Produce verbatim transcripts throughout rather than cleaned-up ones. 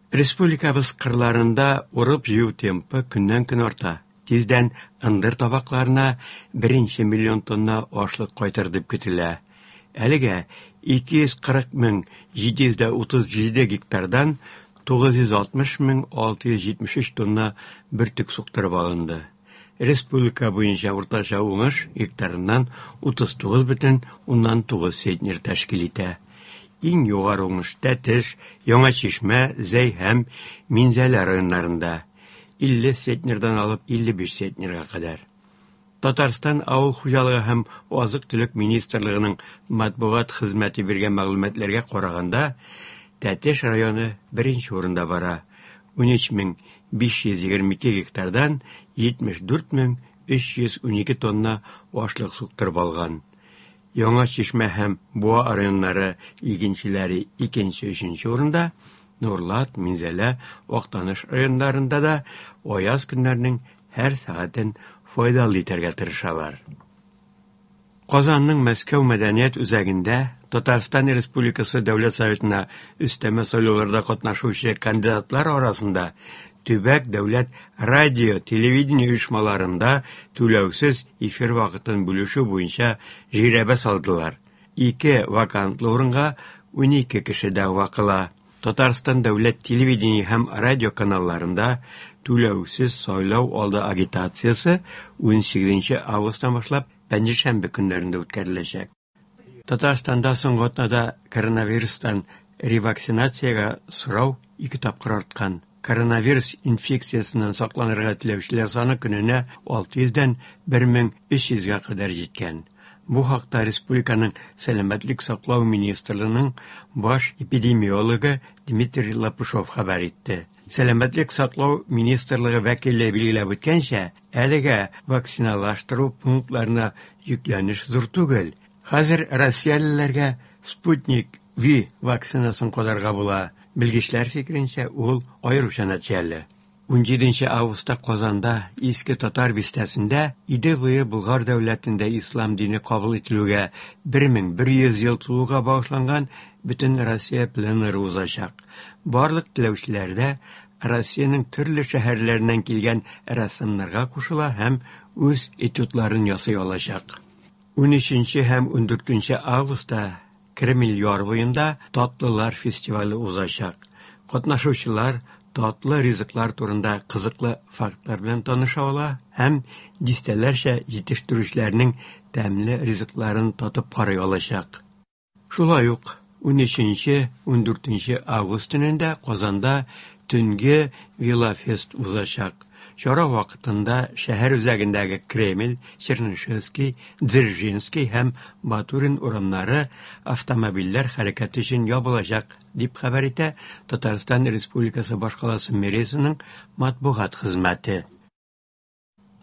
Республикабыз кырларында урып-җыю темпы көннән-көн арта. Тиздән ындыр табакларына беренче миллион тонна ашлык кайтыр дип көтелә. Әлегә ике йөз кырык мең җиде йөз дә утыз җиде гектардан тугыз йөз алтмыш мең алты йөз җитмеш өч тонна бөртек суктырып алынды. Республика буенча уртача уңыш гектарыннан утыз тугыз бөтен уннан тугыз центнер тәшкил итә. Иң югары уңыш Тәтеш, Яңа Чишмә, Зәй һәм Минзәлә районнарында илле центнердан алып илле биш центнерга кадәр. Татарстан Авыл хуҗалыгы һәм азык-төлек министрлыгының матбугат хезмәте биргән мәгълүматларга караганда, Тәтеш районы беренче урында бара. Унөч мең биш йөз егерме ике гектардан җитмеш дүрт мең өч йөз унике тонна ашлык суктырып алган. Яңа Чишмә һәм Буа районнары игенчеләре икенче, өченче урында, Нурлат, Минзәлә, Актаныш районнарында да аяз көннәрнең һәр сәгатен файдалы итәргә тырышалар. Казанның Мәскәү мәдәният үзәгендә Татарстан Республикасы Дәүләт Советына өстәмә сайлауларда катнашучы кандидатлар арасында төбәк дәүләт радио, телевидение оешмаларында түләүсез эфир вакытын бүлешү буенча жирәбә салдылар. Ике вакантлы урынга унике кеше дәгъва кыла. Татарстан дәүләт телевидение һәм радио каналларында түләүсез сайлау алды агитациясе унсигезенче августтан башлап пәнҗешәмбе көннәрендә үткәреләчәк. Татарстанда соңгы атнада коронавирустан ревакцинациягә сорау ике тапкыр арткан. Коронавирус инфекциясеннән сакланырга теләүчеләр саны көненә алты йөздән бер мең өч йөзгә кадәр җиткән. Бу хакта республиканың Сәламәтлек саклау министрлыгының баш эпидемиологы Дмитрий Лопушов хәбәр итте. Сәламәтлек саклау министрлыгы вәкиле билгеләп үткәнчә, әлегә вакциналаштыру пунктларына йөкләнеш зур түгел. Хәзер россиялеләргә Спутник Ви вакцинасын кадарга була. Белгечләр фикеренчә, ул аеруча нәтиҗәле. Унҗиденче августта Казанда Иске Татар бистәсендә Идел буе Болгар дәүләтендә ислам дине кабул ителүгә бер мең бер йөз ел тулуга багышланган бөтен Россия пленэры узачак. Барлык теләүчеләр дә Россиянең төрле шәһәрләреннән килгән рәссамнарга кушыла һәм үз этюдларын ясый алачак. Унөченче һәм ундүртенче августта Кремль яр буенда Татлылар фестивале узачак. Катнашучылар татлы ризыклар турында кызыклы фактлар белән таныша ала һәм дистәләрчә җитештерүчеләрнең тәмле ризыкларын татып карый алачак. Шулай ук унөченче, ундүртенче август төнендә Казанда төнге велофест узачак. Чара вакытында шәһәр үзәгендәге Кремль, Чернышевский, Дзержинский һәм Батурин урамнары автомобильләр хәрәкәте өчен ябылачак, дип хәбәр итә Татарстан Республикасы башкаласы мэриясенең матбугат хезмәте.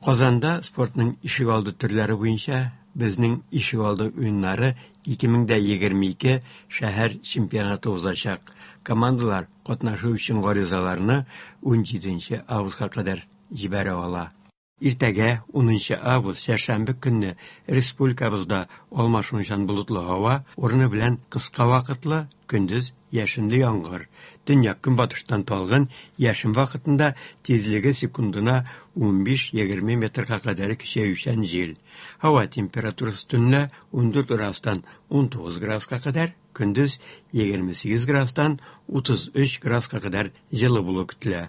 Казанда спортның ишегалды төрләре буенча безнең ишегалды уеннары ике мең дә егерме ике шәһәр чемпионаты узачак. Командалар катнашу өчен гаризаларны унҗиденче августка кадәр җибәрә ала. Иртәгә унынчы август чәршәмбе көнне республикабызда алмашынучан болытлы һава, урыны белән кыска вакытлы, көндез яшенле яңгыр. Төньяк көнбатыштан талгын, яшен вакытында тизлеге секундына унбиш-егерме метрга кадәр көчәючән җил. Һава температурасы төнлә ундүрт градустан унтугыз градуска кадәр, көндез егерме сигез градустан утыз өч градуска кадәр җылы булу көтелә.